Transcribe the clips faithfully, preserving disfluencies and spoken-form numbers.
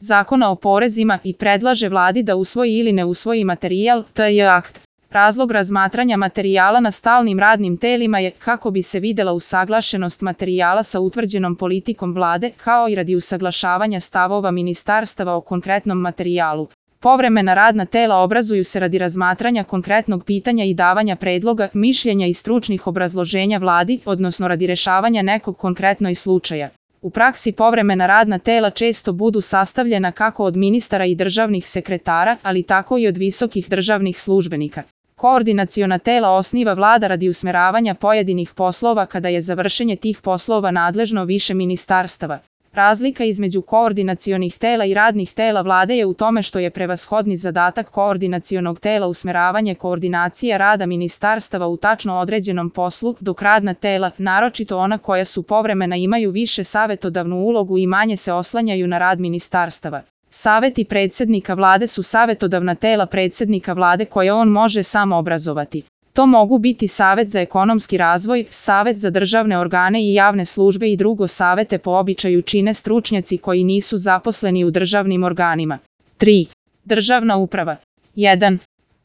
Zakona o porezima i predlaže Vladi da usvoji ili ne usvoji materijal, T J akt. Razlog razmatranja materijala na stalnim radnim telima je kako bi se videla usaglašenost materijala sa utvrđenom politikom Vlade, kao i radi usaglašavanja stavova ministarstava o konkretnom materijalu. Povremena radna tela obrazuju se radi razmatranja konkretnog pitanja i davanja predloga, mišljenja i stručnih obrazloženja Vladi, odnosno radi rešavanja nekog konkretnog slučaja. U praksi povremena radna tela često budu sastavljena kako od ministara i državnih sekretara, ali tako i od visokih državnih službenika. Koordinaciona tela osniva Vlada radi usmeravanja pojedinih poslova kada je za vršenje tih poslova nadležno više ministarstava. Razlika između koordinacionih tela i radnih tela Vlade je u tome što je prevashodni zadatak koordinacionog tela usmeravanje koordinacije rada ministarstava u tačno određenom poslu, dok radna tela, naročito ona koja su povremena, imaju više savetodavnu ulogu i manje se oslanjaju na rad ministarstava. Saveti predsjednika Vlade su savetodavna tela predsjednika Vlade koje on može sam obrazovati. To mogu biti Savet za ekonomski razvoj, Savet za državne organe i javne službe i drugo savete po običaju čine stručnjaci koji nisu zaposleni u državnim organima. tri. Državna uprava. jedan.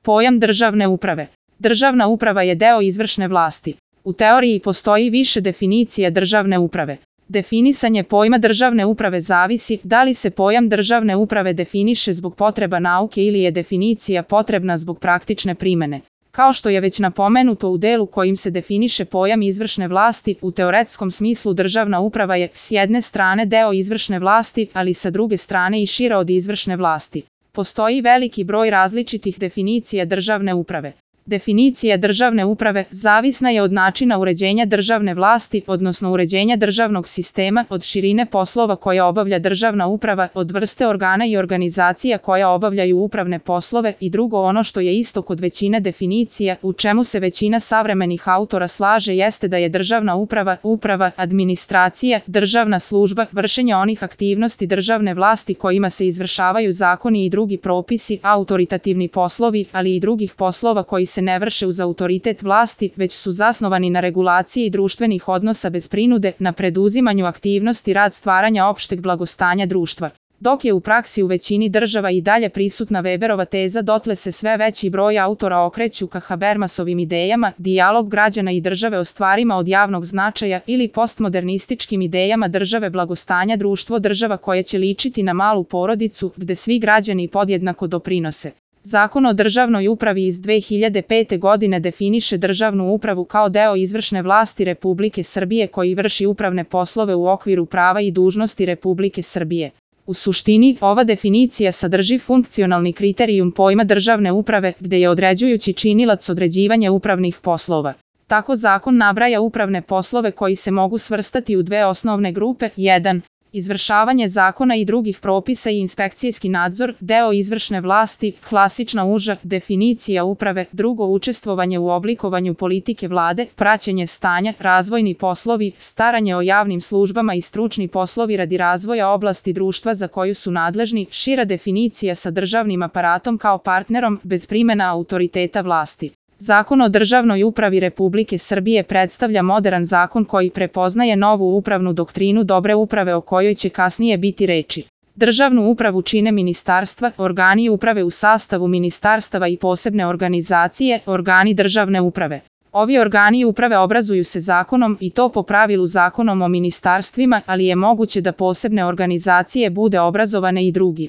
Pojam državne uprave. Državna uprava je deo izvršne vlasti. U teoriji postoji više definicija državne uprave. Definisanje pojma državne uprave zavisi da li se pojam državne uprave definiše zbog potreba nauke ili je definicija potrebna zbog praktične primene. Kao što je već napomenuto u delu kojim se definiše pojam izvršne vlasti, u teoretskom smislu državna uprava je s jedne strane deo izvršne vlasti, ali sa druge strane i šira od izvršne vlasti. Postoji veliki broj različitih definicija državne uprave. Definicija državne uprave zavisna je od načina uređenja državne vlasti, odnosno uređenja državnog sistema, od širine poslova koje obavlja državna uprava, od vrste organa i organizacija koja obavljaju upravne poslove i drugo ono što je isto kod većine definicija, u čemu se većina savremenih autora slaže jeste da je državna uprava, uprava, administracija, državna služba, vršenje onih aktivnosti državne vlasti kojima se izvršavaju zakoni i drugi propisi, autoritativni poslovi, ali i drugih poslova koji se ne vrše uz autoritet vlasti, već su zasnovani na regulaciji društvenih odnosa bez prinude, na preduzimanju aktivnosti rad stvaranja opšteg blagostanja društva. Dok je u praksi u većini država i dalje prisutna Weberova teza, dotle se sve veći broj autora okreću ka Habermasovim idejama, dijalog građana i države o stvarima od javnog značaja ili postmodernističkim idejama države blagostanja društvo država koja će ličiti na malu porodicu, gde svi građani podjednako doprinose. Zakon o državnoj upravi iz dve hiljade pete. godine definiše državnu upravu kao deo izvršne vlasti Republike Srbije koji vrši upravne poslove u okviru prava i dužnosti Republike Srbije. U suštini, ova definicija sadrži funkcionalni kriterijum pojma državne uprave, gde je određujući činilac određivanja upravnih poslova. Tako zakon nabraja upravne poslove koji se mogu svrstati u dve osnovne grupe. jedan. Izvršavanje zakona i drugih propisa i inspekcijski nadzor, deo izvršne vlasti, klasična uža definicija uprave, drugo učestvovanje u oblikovanju politike Vlade, praćenje stanja, razvojni poslovi, staranje o javnim službama i stručni poslovi radi razvoja oblasti društva za koju su nadležni, šira definicija sa državnim aparatom kao partnerom, bez primena autoriteta vlasti. Zakon o državnoj upravi Republike Srbije predstavlja moderan zakon koji prepoznaje novu upravnu doktrinu dobre uprave o kojoj će kasnije biti reči. Državnu upravu čine ministarstva, organi uprave u sastavu ministarstava i posebne organizacije, organi državne uprave. Ovi organi uprave obrazuju se zakonom i to po pravilu zakonom o ministarstvima, ali je moguće da posebne organizacije bude obrazovane i drugi.